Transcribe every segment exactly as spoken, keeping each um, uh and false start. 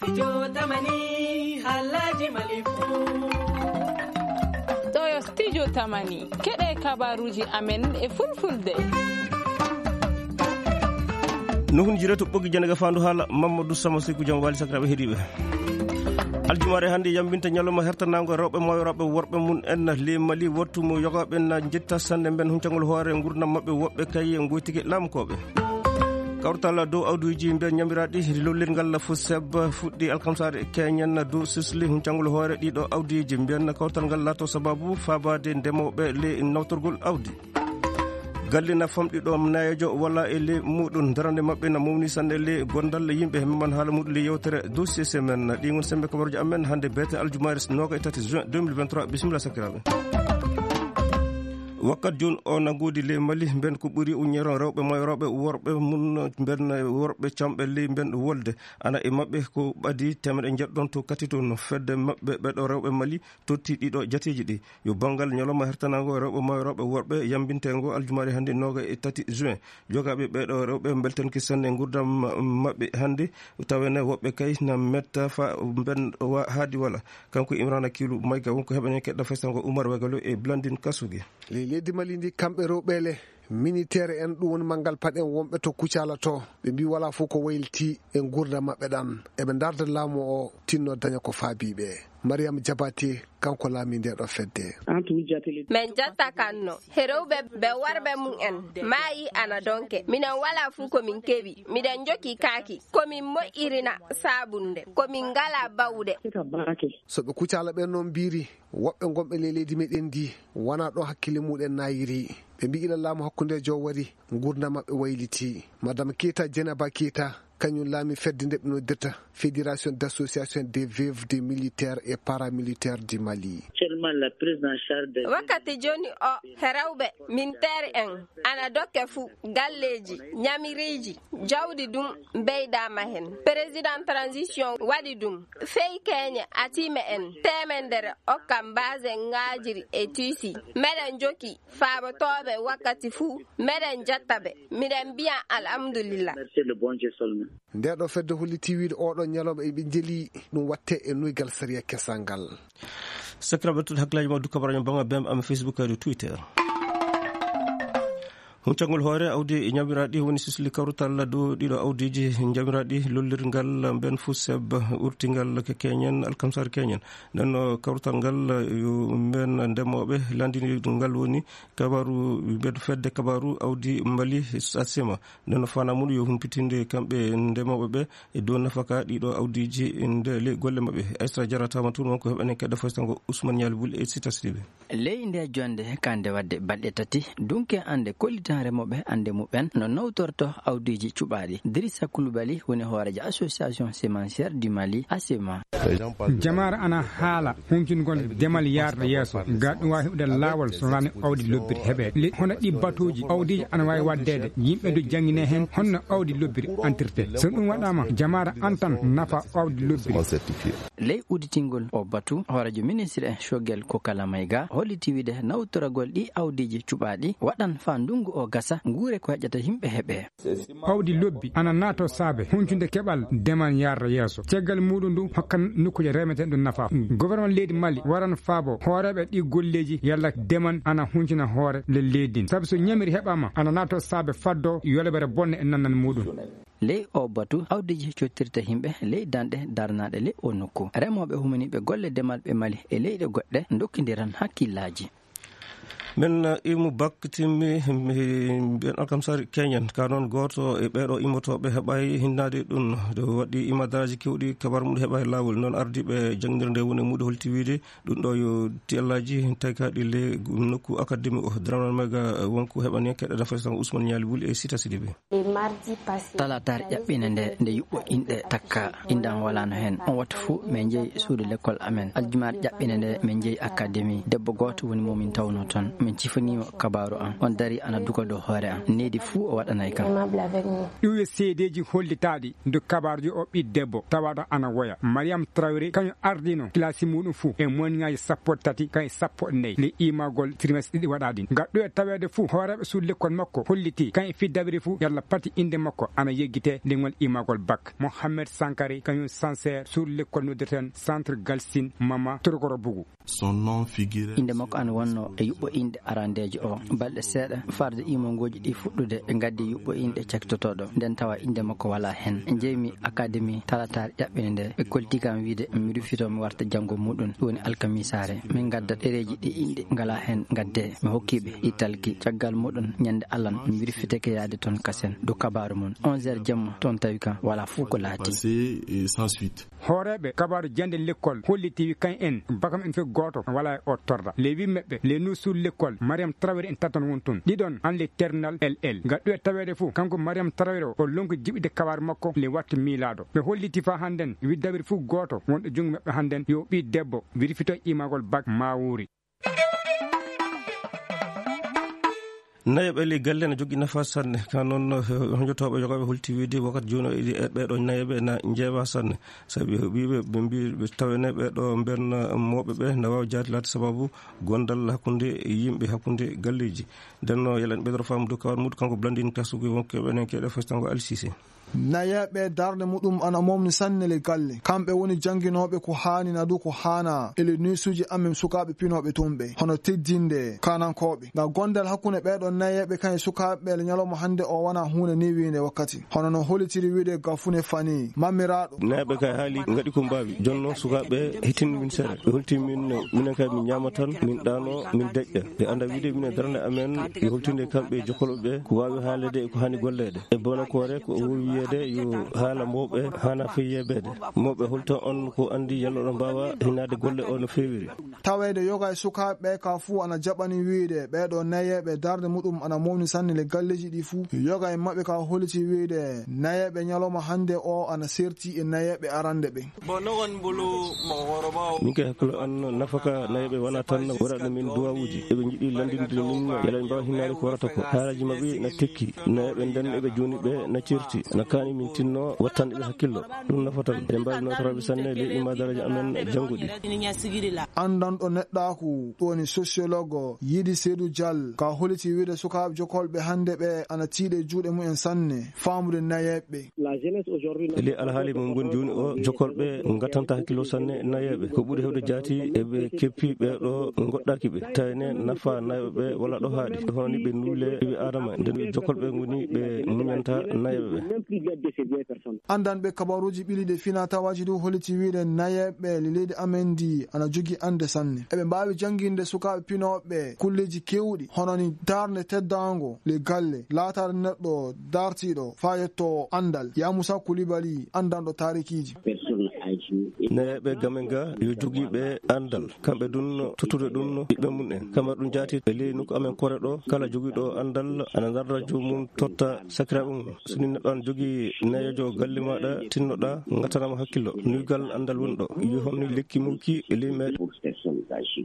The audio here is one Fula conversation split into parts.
Studio Tamani, haalaaji Mali fuu. Ɗo yo Studio Tamani, keɗe kabaruuji amen e fulfulde. Nuhun jire to ɓoggi jannde ga faandu haala, Mamadou Sama Seku, jam waali sakiraaɓe heɗiiɓe. Aljumaare hannde yambinta ñalawma hertanaango rewɓe mawniraaɓe worɓe mum en ley Mali, wattu mo yogaaɓe na njetta sannde mben huncangol hoore ngurdam maɓɓe, woɓɓe kay ngoytike laamukooɓe. Kawtal dow awdiiji mbiyan ñamiraaɗi lollirngal FONGIP fuɗɗi alkamsaare keñen dow sisli huncangol hoore ɗiɗo awdiiji mbiyan kawtal ngal laato sababu faabaade ndemooɓe ley nawtorgol awdi. Galle na famɗi ɗo nayeejo wala e ley muɗum darande maɓɓe na mawni sanne ley gondal yimɓe he memman haala muɗum ley yewtere dossier semaine. Ɗi ngon sembe kabaruji amen hannde beete aljumaare nooga e tati juin deux mille vingt-trois. Bisimilla sakiraaɓe. Wakkat jooni o na ngoodi ley Mali, mben ko ɓuri uññeron rewɓe mawniraaɓe worɓe mum, mben worɓe camɓe ley mben wolde. Ana e maɓɓe ko ɓadi teemeɗe njeɗɗon to kati toon. Fedde maɓɓe ɓeɗo rewɓe Mali totti ɗiɗo jateeji ɗi. Yo banngal ñalawma hertanaango rewɓe mawniraaɓe worɓe yambinteengo aljumaare hannde nooga e tati juin. Jogaaɓe ɓeɗo rewɓe mbeltanki sanne ngurdam maɓɓe hannde, tawene woɓɓe kay na metta fa mben wa-, haadi wala. Kanko Imrana Kilu Mayga wonko heɓanen keɗɗa festango Umar Wegalo e Blandine Kasugi. Ley leydi Mali ndi, kamɓe rewɓe le militeer en, ɗum woni manngal paɗen wonɓe to Kucala to. Ɓe mbi wala fof ko wayliti e ngurdam maɓɓe ɗan. Eɓe ndarda laamu o tinno daña ko faabii ɓe. Mariam Jabate, kanko laami nde ɗo fedde. Min jatta kanno he rewɓe ɓe worɓe mum en maayi ana donke. Minen wala fof ko min keɓi. Miɗen njoki kaaki. Ko min moƴƴirina saabunde. Ko min ngala bawɗe. So ɓe Kucala ɓen noon mbiri, woɓɓe gonɓe ley leydi meɗen ndi wona ɗo hakkille muɗen nayiri. Ɓe mbi ila laamu hakkundejo wari, ngurdam maɓɓe wayliti. Madame Keita, Dieynaba Keita, kañum laami fedde nde ɓe noddirta Fédération d'Association des Veuves des Militaires et Paramilitaires du Mali. Wakkati jooni o, he rewɓe militeer en ana dokke fuu galleeji, ñamiriiji, jawdi ɗum mbeydaama heen. Président transition waɗi ɗum. Fey keñe atiime en teemedere okka mbaase ŋaajiri e tiisi. Meɗen njoki faabotooɓe wakkati fuu, meɗen jatta ɓe. Miɗen mbiya alhamdulillah. Nde ɗo fedde holliti wiide oɗo ñalawma eɓe jeli ɗum watte e nuygal sariya kesal ngal. Sakiraaɓe, tun hakkilaaji ma dukka baraño banga bem am Facebook e Twitter. Huncangol hoore awdi ñamiraaɗi woni sisli kawrutal dow ɗiɗo awdiiji ñamiraaɗi lollirngal mben FONGIP urtingal ke keñen alkamsar keñen. Nden no kawrutal ngal yo mben ndemooɓe landini ngal woni kabaru mbeɗo fedde kabaru awdi Mali Sasema. Nden no fana mum yo humpitinde kamɓe ndemooɓe ɓe e dow nafaka ɗiɗo awdiiji nde ley golle maɓɓe. Aysata Jara tawama toon wonko heɓanen keɗɗa fostango Ousmane Ñaali Bul e Sita Sidibe. Ley nde jonde kande wadde balɗe tati, dunke ande kollitan remooɓe ande muɓɓen no nawtorto awdiiji cuɓaaɗi. Dirisa Kulubali woni hooreejo Association Semencière du Mali, ASEMA. Jamaare ana haala huncingol demal yarda yeeso, ga ɗum waawi heɓude laawol so wonaa awdi lobbiri heɓeede. Le-, hono ɗi batuuji, awdiiji ana waawi waɗdeede, yimɓe du janngine heen honno awdi lobbiri antirte. So ɗum waɗaama, jamaare antan nafa awdi lobbiri. Ley udditingol o batu, hooreejo ministre en Choguel Kokalla Maïga holliti wiide nawtoragol ɗi awdiiji cuɓaaɗi waɗan faa ndunngu o gasa, nguure ko heƴata yimɓe heɓe. Awdi lobbi ana naato saabe huncude keɓal demal yarra yeeso. Caggal muɗum ndu hokkan nokkuuje remetee ɗum nafa. Gouvernement leydi Mali waran faabo hooreeɓe ɗi golleeji yalla demal ana huncina hoore le leydi ndin. Sabu so ñamiri heɓaama ana naato saabe faddo yolbere bonne e nannan muɗum. Ley o batu, awdiiji cottirta yimɓe ley danɗe darnaaɗe ley o nokku. Remooɓe humaniiɓe golle demal ɓe Mali e leyɗe goɗɗe ndokkindiran hakkillaaji. Men, eh, imu bak timmi, mi, mbiyen alkamsari keñen. Ka noon gooto e ɓeeɗo immotooɓe heɓaay hinnaade ɗum. Ɗo waɗi imadaraji kewɗi kabar mum heɓaay laawol. Noon ardiiɓe jannginirde woni muɗo holti wiide ɗum ɗo yo tiyallaaji taykaaɗi le nokku akademi o. Dramel Mega wonko heɓani keɗɗa dafay tan Ousmane Ñaali Wuli e Sita Sidibe. Talaataare ƴaɓɓinde nde, nde yuɓɓo inɗe takka, inɗan walaano heen. On wattu fuu, min njehi suudu lekkol amen. Aljumaare ƴaɓɓinde nde, min njehi akademi. Debbo gooto woni mo min tawnoo toon. Min cifaniima kabaaru am, on darii ana duka dow hoore am, needi fuu o waɗanay kam. Ɗum yo seedeeji hollitaaɗi ndu kabaarujo o ɓii debbo tawaaɗo ana woya. Mariam Traoré kañum ardino kilasi muɗum fuu e moniŋaaji sappo e tati kañum sappo e nayi ley imaagol trimestre ɗiɗi waɗaaɗi. Ngal ɗo e taweede fuu hooreeɓe suudu lekkol makko hollitii kañum fii dabiri fuu yalla pati innde makko ana yeggitee ley ngol imaagol bak. Mohamed Sankare kañum sanseer suudu lekkol noddirten Centre Galsin Mama Torokoro Bugu. Son nom figurait Innde makko ana wonnoo e yuɓɓo inɗe arandeejo o. Balɗe seeɗa farde iimongooji ɗi fuɗɗude, ɓe ngaddi yuɓɓo inɗe cakkitotooɗo, nden tawa innde makko walaa heen. Njeymi akademi talataare ƴaɓɓinde nde, ɓe kolti kam wiide mi rufito mi warta janngo muɗum, ɗum woni alkamisaare. Min ngadda ɗereeji ɗi inɗe ngalaa heen, ngaddee. Mi hokki ɓe ɗi talki. Caggal muɗum, ñande alan, mi rufitake yaade toon kasen, ɗo kabaaru mum. Onze heures jamma, toon tawi kam walaa fof ko laati. Passé et sans suite. Hooreeɓe kabaaru jannde lekkol holliti wi kañ en bakam en fof gooto walaa e o torra. Le huit meɓɓe le nuusul lekkol Mariam Traoré en tatan won toon. Ɗiɗon an le terminal L L. Ngal ɗo e taweede fof kanko Mariam Traoré o lonki jiɓide kabaaru makko le wattu miilaaɗo. Ɓe holliti faa hannden wi dabiri fof gooto wonɗo junngo maɓɓe hannden yo ɓii debbo wirfito imaagol bak maa wuuri. Nayaɓe ley galle ne jogii nafa sanne. Ka noon, eh, honjotooɓe yogaaɓe holti wiide wakkati jooni o iɗi e ɓeeɗo nayaɓe na njeewa sanne. Sabi ɓiiɓe ɓe mbii ɓe tawene ɓeeɗo mbenna mooɓe ɓe na waawi jaati laati sababu gondal hakkunde yimɓe, hakkunde galleeji. Nden no yelen ɓeydoro faamu dow kawar muɗum kanko Blandine Tassougou wonko ɓenen keɗe fostango Alsise. Nayeeɓe darnde muɗum ana momni sanne le galle. Kamɓe woni jannginooɓe ko haani na du ko haanaa e le nuisuuji amen sukaaɓe pinooɓe toon ɓe, hono teddinde kaanankooɓe. Nga gondal hakkunde ɓeeɗo nayeeɓe kan e sukaaɓe le ñalawma hannde o wona huunde newiinde wakkati. Hono no holitiri wiide Gafune Fani, mammiraaɗo. Nayeeɓe kay haali ngaɗi ko mbaawi. Jonno sukaaɓe hittini min sere. Ɓe holti min, minen kay min ñaama tan, min ɗaano, min deƴƴa. Ɓe annda wiide minen darnde amen yo holtinde kamɓe jokkolɓe ɓe ko waawi haalede e ko haani golleede. E Bonokoore ko o woni wiyeede yo haala mawɓe haana fey yeebeede. Mawɓe holto on ko anndi yalla oɗon mbaawa hinaade golle o no feewiri. Taweede yoga e sukaaɓe ɓe ka fuu ana jaɓani wiide ɓeeɗo nayeeɓe darnde muɗum ana mawni sanne le galleeji ɗi fuu. Yoga e maɓɓe ka holiti wiide nayeeɓe ñalawma hannde o ana serti e nayeeɓe arande ɓe. Min kay hakkilo an nafaka nayeeɓe wona tan waɗaɗo min duwawuuji. Eɓe njiɗi lanndinde min yalla ɓe mbaawa hinnaade ko warata ko. Haalaaji maɓɓe na tekki. Nayeeɓe nden eɓe jooni ɓe na certi. Na kaani min tinno wattanɗe ɓe hakkillo. Ɗum nafata ɓe. Eɗen mbaawi nootoraaɓe sanne ley imaadaraji amen jannguɗi. Anndanɗo neɗɗaaku, ɗum woni sociologue, Yidi Seydou Dial, ka holiti wiide sukaaɓe jokolɓe hannde ɓe ana tiiɗe juuɗe mumen sanne, faamude nayeeɓe. E ley alhaali mo ngoni jooni o, jokolɓe ngattanta hakkillo sanne nayeeɓe. Ko ɓuri heewde jaati eɓe keppi ɓeeɗo ngoɗɗaaki ɓe. Tawne nafa nayeeɓe ɓe wala ɗo haaɗi. Hono ni ɓe nuule ɓiɓɓe Aadama, nden ɓe jokolɓe ngoni ɓe muñanta nayeeɓe ɓe. Anndanɓe kabaruuji ɓiliiɗe fina tawaaji du holiti wiide nayeeɓe le leydi amen ndi ana jogii annde sanne. Eɓe mbaawi jannginde sukaaɓe pinooɓe kulleeji keewɗi, hono ni darnde teddaango le galle, laataade neɗɗo dartiiɗo faa yetto anndal. Yamusa Kulibali, anndanɗo taarikiiji. Nayeeɓe gamen ga yo jogii ɓe anndal. Kamɓe ɗum tottude ɗum ɓiɓɓe mum en. Kamɓe ɗum jaati e ley nokku amen kore ɗo. Kala jogiiɗo anndal ana darra joomum totta sakiraaɓe mum. So ni neɗɗo ana jogii nayeejo galle maaɗa tinnoɗa, ngattanama hakkillo. Nuygal anndal woni ɗo. Yo homni lekki mukki e ley meɗen.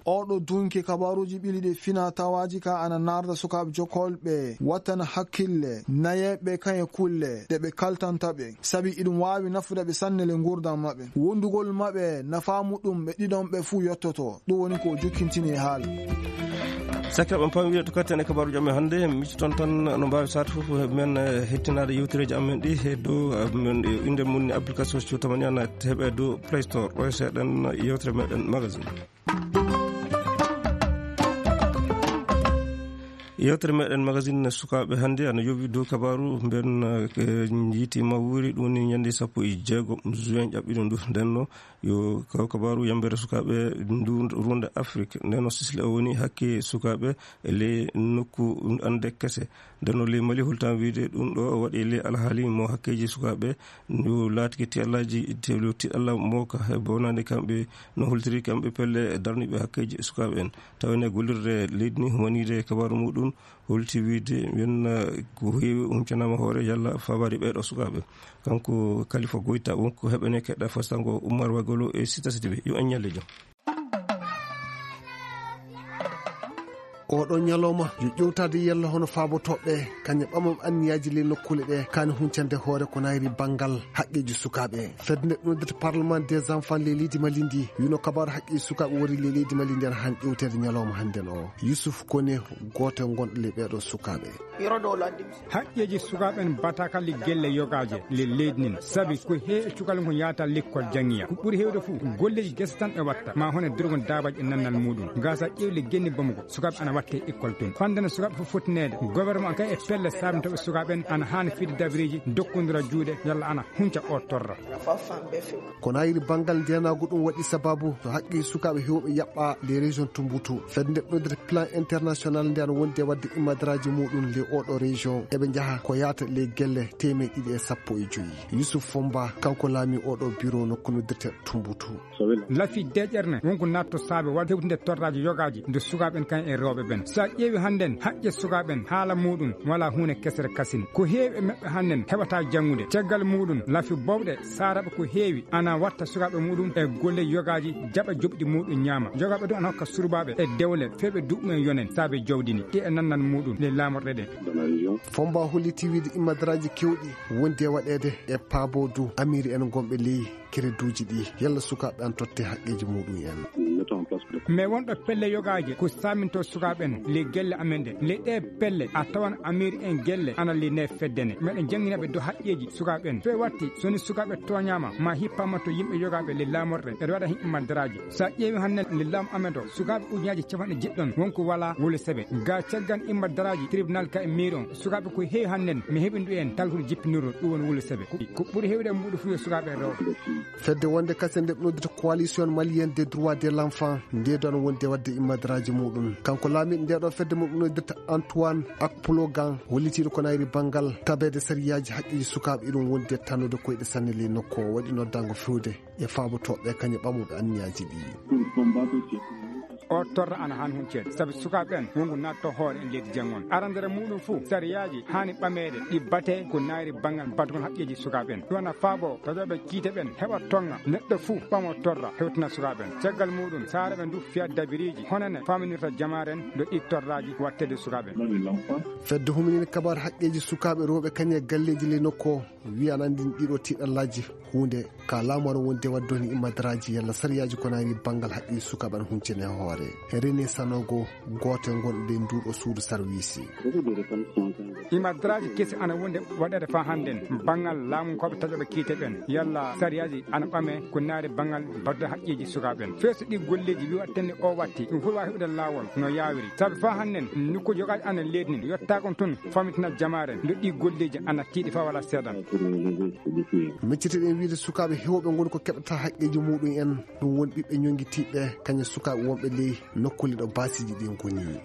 Oɗo dunki kabaruuji ɓiliiɗe fina tawaaji ka ana narda sukaaɓe jokolɓe wattana hakkille nayeeɓe kañe kulle ɗe ɓe kaltanta ɓe. Sabi iɗum waawi nafude ɓe sanne le nguurndam maɓɓe. Wondugol maɓɓe nafaa muɗum ɓe ɗiɗon ɓe fuu yottoto. Ɗum woni ko o jokkintini e haala. Sakiraaɓe, on paami wiide to katten e kabaaruuji amen hannde, micciton tan no mbaawi saatu fof men, eh, hettinaade yewtereeji amen ɗi he dow, eh, men, eh, innde mum ni application Sio Tamani ana heɓe dow Play Store. Ɗo e seeɗen yewtere meɗen magazine. Yewtere meɗen magazine sukaaɓe hannde ana yowi dow kabaaru mben, eh, yiiti mawuri, ɗum woni ñande sappo e jeego juin ƴaɓɓiɗo ndu. Nden no yo kaw kabaaru yambere sukaaɓe ndu runde Afrik. Nden no sisle o woni hakke sukaaɓe e ley nokku ande kese. Nden no ley Mali holtan wiide ɗum ɗo waɗi ley alhaali mo hakkeeji sukaaɓe ndu laatiki tiɗallaaji, tiɗalla mooka e bonande kamɓe no holtiri kamɓe pelle darniiɓe hakkeeji sukaaɓe en. Tawa ene gollirde leydi ni humaniide kabaaru muɗum holti wiide men, eh, ko heewi huncanaama hoore yalla fawaade ɓeeɗo sukaaɓe. Kanko Kalifa Goyta wonko heɓene keɗɗa fastango Umar Wagolo e Sita Sidibé. Yo en ñalle jam. Oɗo ñalawma yo ƴewtaade yalla hono faabotooɓe kañe ɓamam anniyaaji ley nokkuule ɗe kaani huncande hoore ko nayri banngal haqqeeji sukaaɓe. Fedde nde ɗum noddata Parlement des enfants ley leydi Mali ndi wino kabaaru haqqeeji sukaaɓe wori ley leydi Mali ndi ana han ƴewteede ñalawma hannden o. Yusuf Kone gooto e gonɗo ley ɓeeɗo sukaaɓe. Haqqeeji sukaaɓe en bataka le gelle yogaaje le leydi nin sabi ko heewi e cukalel ngon yaata lekkol janngiya ko ɓuri heewde fof golleeji gese tan e watta ma hono durgol daabaji e nannal muɗum gasa ƴeewle genni bamugo sukaaɓe ana watte école tun fandana sukaaɓe fof fottineede gouvernement kay e pelle sabintoɓe sukaaɓe en ana haani fidde dabreeji dokkondira juuɗe yalla ana hunca o torra. Ko nayiri banngal ndeenaagu ɗum waɗi sababu to haqqe sukaaɓe heewɓe yaɓɓa les régions tumbutu fedde nde ɗoydata plan international nde ana wondi e waɗde immadaraaji muɗum les oɗo région eɓe njaha ko yaata les gelle teemeɗe ɗiɗi e sappo e joyi. Yusuf Fomba kanko laami oɗo bureau nokku noddirte tumbutu. Lafi deƴƴere ne wonko natto saabe waɗde hewtinde torraaji yogaaji nde sukaaɓe en kan e rewɓe ɓen so a ƴeewi hannden haqqe sukaaɓe en haala muɗum wala huunde kesere kasin ko heewi e maɓɓe hannden heɓata janngude caggal muɗum lafi bowɗe saaraɓe ko heewi ana watta sukaaɓe muɗum e golle yogaaji jaɓa joɓɗi muɗum ñaama yogaaɓe ɗum ana hokka surbaaɓe e dewle fewɓe duɓɓum en yonen saabe jawdi ni ɗi e nannal muɗum le laamorɗe ɗe. Fomba holliti wiide immadaraaji kewɗi wondi e waɗeede e paabo du amiri en gonɓe ley kereduuji ɗi yalla sukaaɓe an totte haqqeeji muɗum en. Mais wonɗo pelle yogaaje ko saaminto sukaaɓe en le gelle amen ɗe le ɗe pelle a tawan amiri en gelle ana le ne feddene meɗen jannginaɓe do haqqeeji sukaaɓe en fe watti soni sukaaɓe tooñaama ma hippama to yimɓe yogaaɓe le laamorɗe eɗe waɗa himɓe maddaraaji so a ƴeewi hannden le laamu amen ɗo sukaaɓe ujunaaji capanɗe jeɗɗon wonko wala wole seɓe ga caggan imma daraaji tribunal ka e miir on sukaaɓe ko heewi hannden mi heɓindu en talhude jippinirɗo ɗum woni wole seɓe ko ɓuri heewde e mbuɗo fuyo sukaaɓe e rewɓe. Fedde wonde kasen nde ɓe noddita coalition malienne des droits de l'enfant ndeedo ana wondi e waɗde immadaraaji muɗum kanko laamiiɗo ndeɗo fedde mo ɓe noddirta Antoine ak plogan hollitiiɗo ko nayri banngal tabeede sariyaaji haqqeeji sukaaɓe iɗum wondi e tannude koyɗe sanne ley nokku o waɗi noddaango fewde e faabotooɓe kañe ɓamuɓe anniyaaji ɗi. O torra ana han hunceede sabi sukaaɓe ɓen wongo natto hoore en leydi janngon arandere muɗum fof sariyaaji haani ɓameede ɗi bate ko naayri banngal batgol haqqeeji sukaaɓe ɓen ɗum ana faabo taƴooɓe kiite ɓen heɓa tonga neɗɗo fof ɓamo torra hewtina sukaaɓe ɓen caggal muɗum saare ɓe ndu fiya dabiriiji honane faminirta jamaare en ɗo ɗi torraaji wattede sukaaɓe ɓen. Fedde huminini kabar haqqeeji sukaaɓe rewɓe kañe galleeji ley nokku o wiya ana anndini ɗiɗo tiiɗallaaji huunde ka laamu ara wonde waɗde woni immadaraaji yalla sariyaaji ko naani banngal haqqeeji sukaaɓe ana huncene hoore. René Sanogo gooto e gonɗo e nduuɗo suudu sarwiisi. Immadaraaji kesi ana wonde waɗeede faa hannden banngal laamunkooɓe taƴooɓe kiite ɓen yalla sariyaaji ana ɓame ko naari banngal badde haqqeeji sukaaɓe ɓen feeso ɗi golleeji wi waɗtenne o watti ɗum fof waawi heɓude laawol no yaawiri sabi faa hannden nokkuuji yogaaji ana leedni yottaakon tun famitina jamaare nde ɗi golleeji ana tiiɗi faa wala seeɗa. Miccitiɗen wiide sukaaɓe heewɓe ngoni ko keɓata haqqeeji muɗum en ɗum woni ɓiɓɓe ñonngitiiɓe kañum sukaaɓe wonɓe ley nokkuule ɗo baasiiji ɗi ngoni.